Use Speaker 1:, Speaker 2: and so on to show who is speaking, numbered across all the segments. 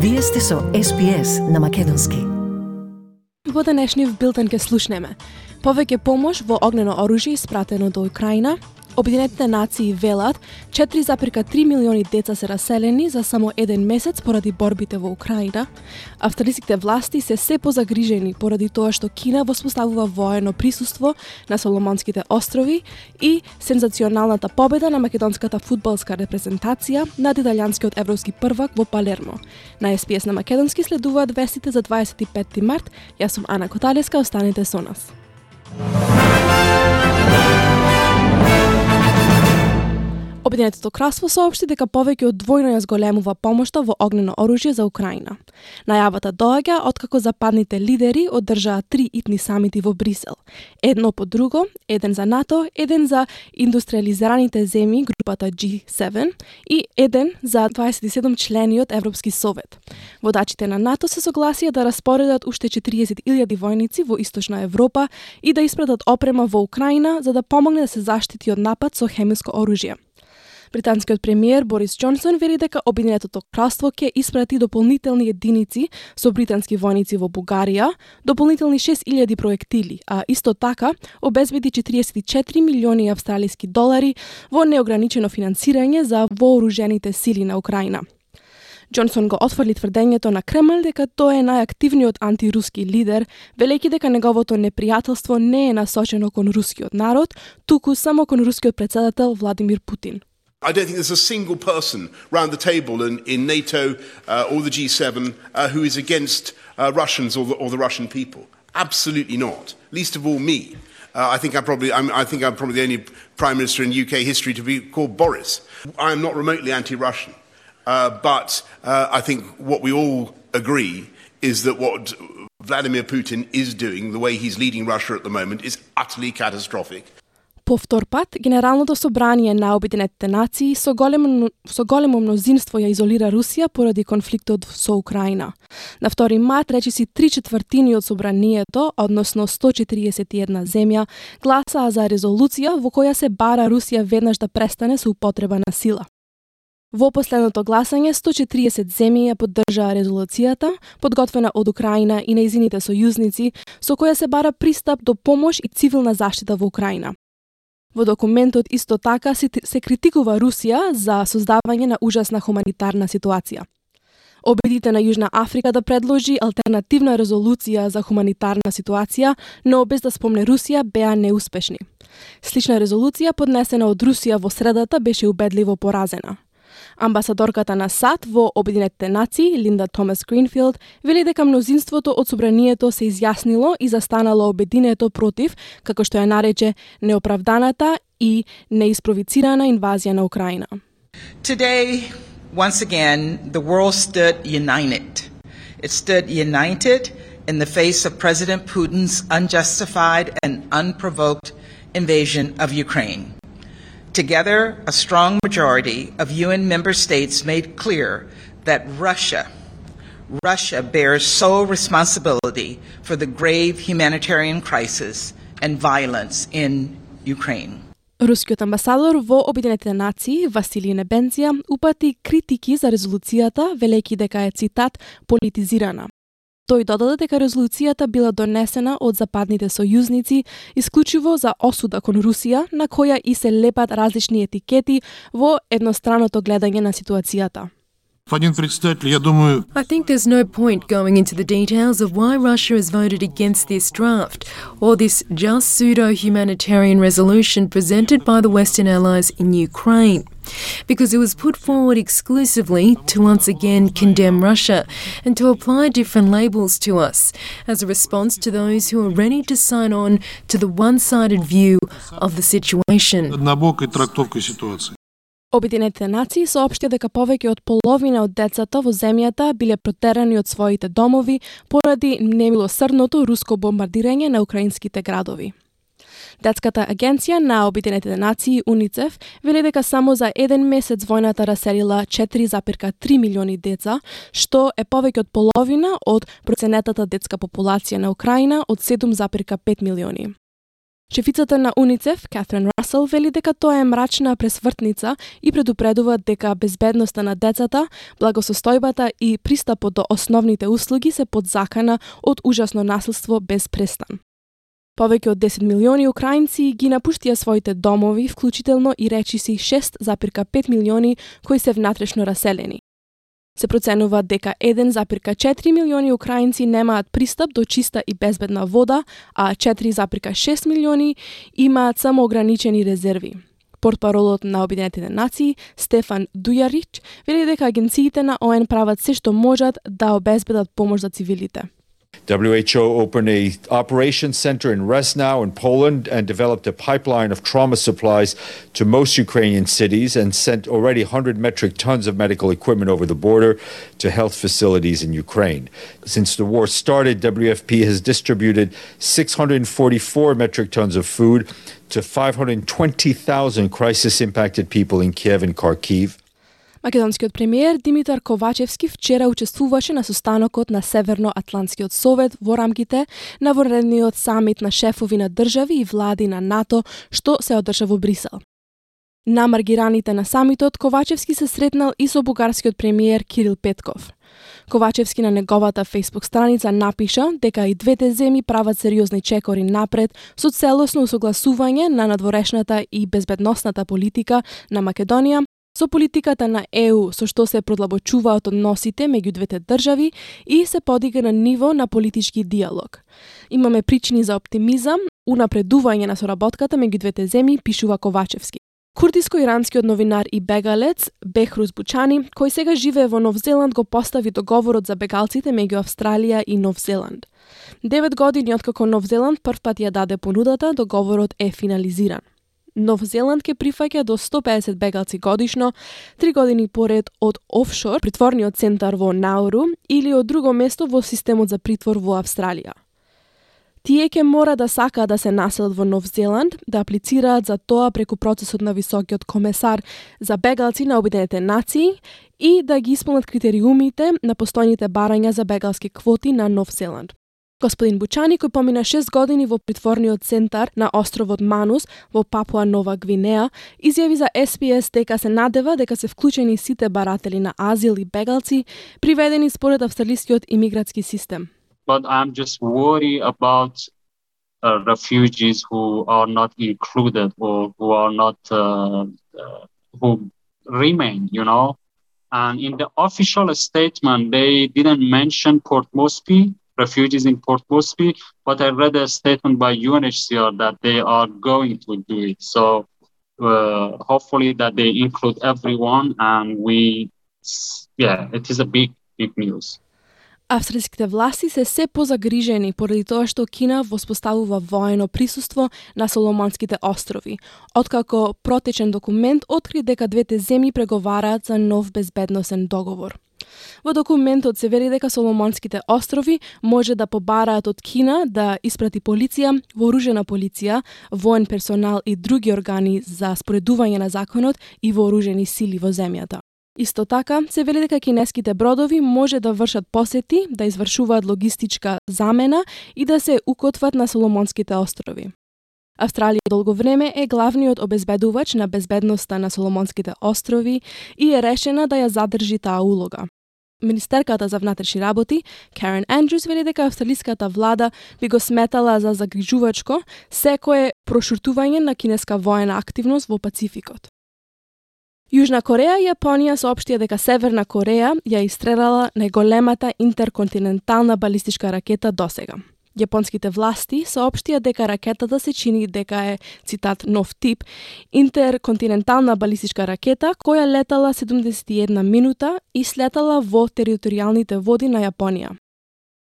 Speaker 1: Вие сте со SPS на Македонски.
Speaker 2: Во денешниот билтен ке слушнеме повеќе помош во огнено оружје испратено до Украина. Обединетите нации велат 4,3 милиони деца се раселени за само еден месец поради борбите во Украина. Австралиските власти се позагрижени поради тоа што Кина воспоставува воено присуство на Соломонските острови и сензационалната победа на македонската фудбалска репрезентација над италијанскиот европски првак во Палермо. На SPS на Македонски следуваат вестите за 25 март. Јас сум Ана Коталеска, останете со нас. Обединетото кралство соопшти дека повеќе од двојно ја зголемува помошта во огнено оружје за Украина. Најавата доаѓа откако западните лидери одржаа 3 итни самити во Брисел. Едно по друго, еден за НАТО, еден за индустриализираните земји, групата G7, и еден за 27 члениот Европски совет. Водачите на НАТО се согласија да распоредат уште 40.000 војници во Источна Европа и да испратат опрема во Украина за да помогне да се заштити од напад со хемиско оружје. Британскиот премиер Борис Џонсон вели дека Обединетото кралство ќе испрати дополнителни единици со британски војници во Бугарија, дополнителни 6.000 проектили, а исто така обезбеди 44 милиони австралиски долари во неограничено финансирање за вооружените сили на Украина. Џонсон го отфрли тврдењето на Кремљ дека тој е најактивниот антируски лидер, велејќи дека неговото непријателство не е насочено кон рускиот народ, туку само кон рускиот претседател Владимир Путин.
Speaker 3: I don't think there's a single person round the table in NATO or the G7 who is against Russians or the Russian people. Absolutely not. Least of all me. I think I'm probably the only Prime Minister in UK history to be called Boris. I am not remotely anti-Russian, but I think what we all agree is that what Vladimir Putin is doing, the way he's leading Russia at the moment, is utterly catastrophic.
Speaker 2: По втор пат, Генералното собрание на Обединетите нации со големо мнозинство ја изолира Русија поради конфликтот со Украина. На 2 март речиси 3/4 од собранието, односно 141 земја, гласаа за резолуција во која се бара Русија веднаш да престане со употреба на сила. Во последното гласање 140 земји ја поддржаа резолуцијата, подготвена од Украина и нејзините сојузници, со која се бара пристап до помош и цивилна заштита во Украина. Во документот исто така се критикува Русија за создавање на ужасна хуманитарна ситуација. Обидите на Јужна Африка да предложи алтернативна резолуција за хуманитарна ситуација, но без да спомне Русија, беа неуспешни. Слична резолуција поднесена од Русија во средата беше убедливо поразена. Амбасадорката на САД во Обединетите нации, Линда Томас Гринфилд, вели дека мнозинството од собранието се изјаснило и застанало обединето против, како што ја нарече, неоправданата и неиспровицирана инвазија на Украина.
Speaker 4: Today, once again, the world stood united. It stood united in the face of President Putin's unjustified and unprovoked invasion of Ukraine. Together, a strong majority of UN member states made clear that Russia bears sole responsibility for the grave humanitarian crisis and violence in Ukraine.
Speaker 2: Рускиот амбасадор во Обединетите нации, Василий Небензија, упати критики за резолуцијата, велејќи дека е, цитат, политизирана. Тој додаде дека резолуцијата била донесена од западните сојузници исклучиво за осуда кон Русија, на која и се лепат различни етикети во едностраното гледање на ситуацијата.
Speaker 5: I think there's no point going into the details of why Russia has voted against this draft or this just pseudo-humanitarian resolution presented by the Western allies in Ukraine, because it was put forward exclusively to once again condemn Russia and to apply different labels to us as a response to those who are ready to sign on to the one-sided view of the situation.
Speaker 2: Обединетите нации соопштија дека повеќе од половина од децата во земјата биле протерани од своите домови поради немилосрдното руско бомбардирање на украинските градови. Детската агенција на Обединетите нации УНИЦЕФ вели дека само за еден месец војната раселила 4,3 милиони деца, што е повеќе од половина од проценетата детска популација на Украина од 7,5 милиони. Шефицата на УНИЦЕФ, Катрин Расел, вели дека тоа е мрачна пресвртница и предупредува дека безбедноста на децата, благосостојбата и пристапот до основните услуги се под закана од ужасно насилство без престан. Повеќе од 10 милиони украинци ги напуштија своите домови, вклучително и речиси 6,5 милиони кои се внатрешно раселени. Се проценува дека 1,4 милиони украинци немаат пристап до чиста и безбедна вода, а 4,6 милиони имаат само ограничени резерви. Портпаролот на Обединетите нации, Стефан Дујарич, вели дека агенциите на ООН прават се што можат да обезбедат помош за цивилите.
Speaker 6: WHO opened an operations center in Resnau in Poland and developed a pipeline of trauma supplies to most Ukrainian cities and sent already 100 metric tons of medical equipment over the border to health facilities in Ukraine. Since the war started, WFP has distributed 644 metric tons of food to 520,000 crisis-impacted people in Kiev and Kharkiv.
Speaker 2: Македонскиот премиер Димитар Ковачевски вчера учествуваше на состанокот на Северноатлантскиот совет во рамките на вонредниот самит на шефови на држави и влади на НАТО, што се одржа во Брисел. На маргираните на самитот Ковачевски се сретнал и со бугарскиот премиер Кирил Петков. Ковачевски на неговата Facebook страница напиша дека и двете земји прават сериозни чекори напред со целосно усогласување на надворешната и безбедносната политика на Македонија со политиката на ЕУ, со што се продлабочуваат односите меѓу двете држави и се подига на ниво на политички диалог. Имаме причини за оптимизам, унапредување на соработката меѓу двете земји, пишува Ковачевски. Курдиско-иранскиот новинар и бегалец Бехрус Бучани, кој сега живее во Нов Зеланд, го постави договорот за бегалците меѓу Австралија и Нов Зеланд. 9 години откако Нов Зеланд првпат ја даде понудата, договорот е финализиран. Нов Зеланд ке прифаќа до 150 бегалци годишно, 3 години поред од офшор, притворниот центар во Науру или од друго место во системот за притвор во Австралија. Тие ке мора да сакаат да се населат во Нов Зеланд, да аплицираат за тоа преку процесот на високиот комесар за бегалци на Обединетите нации и да ги исполнат критериумите на постојните барања за бегалски квоти на Нов Зеланд. Господин Бучани, кој помина 6 години во притворниот центар на островот Манус во Папуа Нова Гвинеа, изјави за SPS дека се надева дека се вклучени сите баратели на азил и бегалци, приведени според австралискиот имигратски систем.
Speaker 7: But I'm just worried about refugees who are not included or who are not who remain, you know. And in the official statement, they didn't mention Port Moresby, refugees in Port Moresby, but I read a statement by UNHCR that they are going to do it. So hopefully that they include everyone, and it is a big news.
Speaker 2: Австралиските власти се се позагрижени поради тоа што Кина воспоставува воено присуство на Соломонските острови, откако протечен документ откри дека двете земји преговараат за нов безбедносен договор. Во документот се вели дека Соломонските острови може да побараат од Кина да испрати полиција, вооружена полиција, воен персонал и други органи за споредување на законот и вооружени сили во земјата. Исто така, се вели дека кинеските бродови може да вршат посети, да извршуваат логистичка замена и да се укотват на Соломонските острови. Австралија долго време е главниот обезбедувач на безбедноста на Соломонските острови и е решена да ја задржи таа улога. Министерката за внатрешни работи, Карен Андрюс, вели дека австралиската влада би го сметала за загрижувачко секое прошуртување на кинеска воена активност во Пацификот. Јужна Кореја и Јапонија соопштија дека Северна Кореја ја истрелала најголемата интерконтинентална балистичка ракета досега. Јапонските власти соопштија дека ракетата се чини дека е, цитат, нов тип, интерконтинентална балистичка ракета која летала 71 минута и слетала во територијалните води на Јапонија.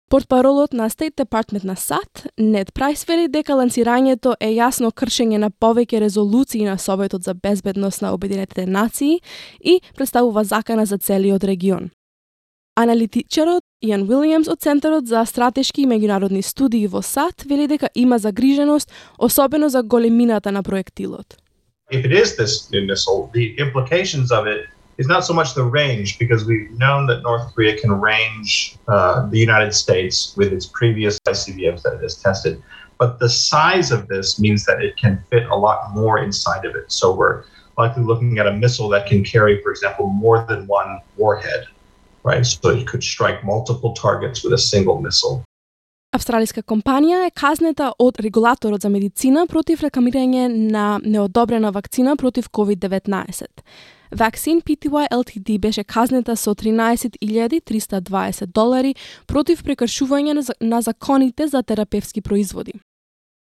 Speaker 2: Портпаролот на State Department на САД, Нед Прайс, вели дека лансирањето е јасно кршење на повеќе резолуции на Советот за безбедност на Обединетите нации и представува закана за целиот регион. Аналитичарот Иан Уилјамс од Центарот за стратешки и меѓународни студии во САД вели дека има загриженост, особено за големината на проектилот.
Speaker 8: If it is this new missile, the implications of it is not so much the range, because we've known that North Korea can range the United States with its previous ICBMs that it has tested. but the size of this means that it can fit a lot more inside of it. So we're likely looking at a missile that can carry, for example, more than one warhead, right? So it could strike multiple targets with a single missile.
Speaker 2: Австралиска компанија е казнета од регулаторот за медицина против рекламирање на неодобрена вакцина против COVID-19. Vaccine Pty Ltd беше казнета со $13,320 против прекршување на законите за терапевски производи.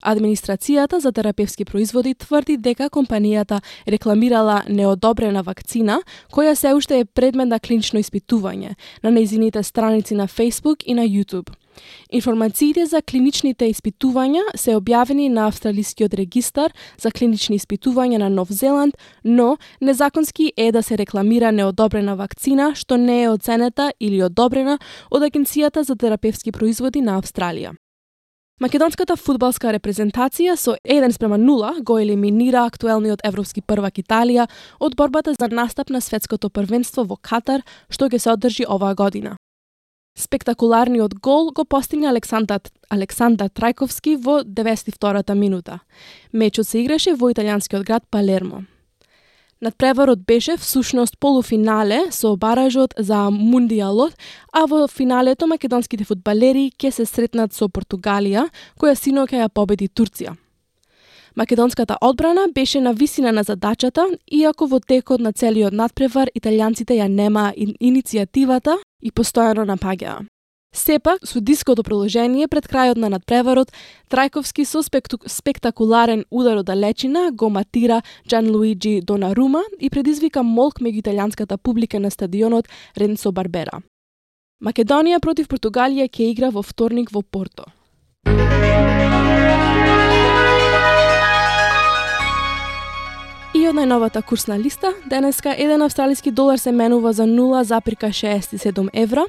Speaker 2: Администрацијата за терапевски производи тврди дека компанијата рекламирала неодобрена вакцина, која се уште е предмет на клинично испитување на нејзините страници на Facebook и на YouTube. Информациите за клиничните испитувања се објавени на Австралискиот регистар за клинични испитувања на Нов Зеланд, но незаконски е да се рекламира неодобрена вакцина што не е оценета или одобрена од Агенцијата за терапевски производи на Австралија. Македонската фудбалска репрезентација со 1:0 го елиминира актуелниот европски првак Италија од борбата за настап на светското првенство во Катар, што ќе се одржи оваа година. Спектакуларниот гол го постигна Александар Трајковски во 92-та минута. Мечот се играше во италијанскиот град Палермо. Надпреварот беше всушност полуфинале со баражот за Мундијалот, а во финалето македонските фудбалери ќе се сретнат со Португалија, која синоќа ја победи Турција. Македонската одбрана беше на висина на задачата, иако во текот на целиот надпревар италијанците ја немаа иницијативата и постојано напаѓаа. Сепак, судиското продолжение пред крајот на надпреварот, Трајковски со спектакуларен удар од далечина го матира Джанлуиджи Донарума и предизвика молк меѓу италијанската публика на стадионот Ренцо Барбера. Македонија против Португалија ќе игра во вторник во Порто. И од најновата курсна листа, денеска еден австралиски долар се менува за 0,67 евра,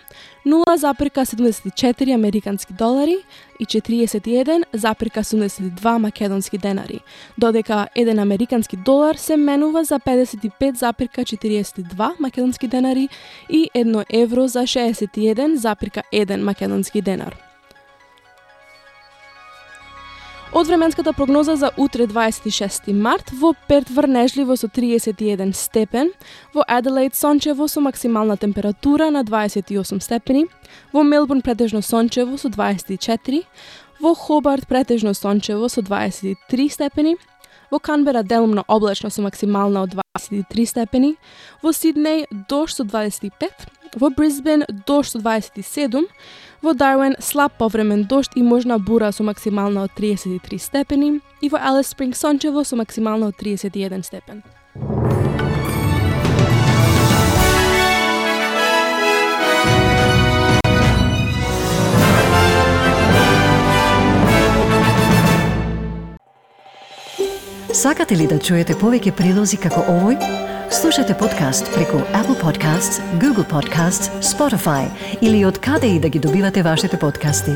Speaker 2: 0,74 американски долари и 41,72 македонски денари, додека еден американски долар се менува за 55,42 македонски денари и 1 евро за 61,1 македонски денар. Од временската прогноза за утре 26 март, во Перт врнежливо со 31 степен, во Аделаид сончево со максимална температура на 28 степени, во Мелбурн претежно сончево со 24, во Хобарт претежно сончево со 23 степени, во Канбера делумно облачно со максимална од 23 степени, во Сиднеј дожд со 25, во Брисбен дожд со 27, во Дарвин слаб повремен дожд и можна бура со максимална од 33 степени и во Алис Спринг сончево со максимална од 31 степен.
Speaker 1: Сакате ли да чуете повеќе прилози како овој? Слушате подкаст преку Apple Podcasts, Google Podcasts, Spotify или од каде и да ги добивате вашите подкасти.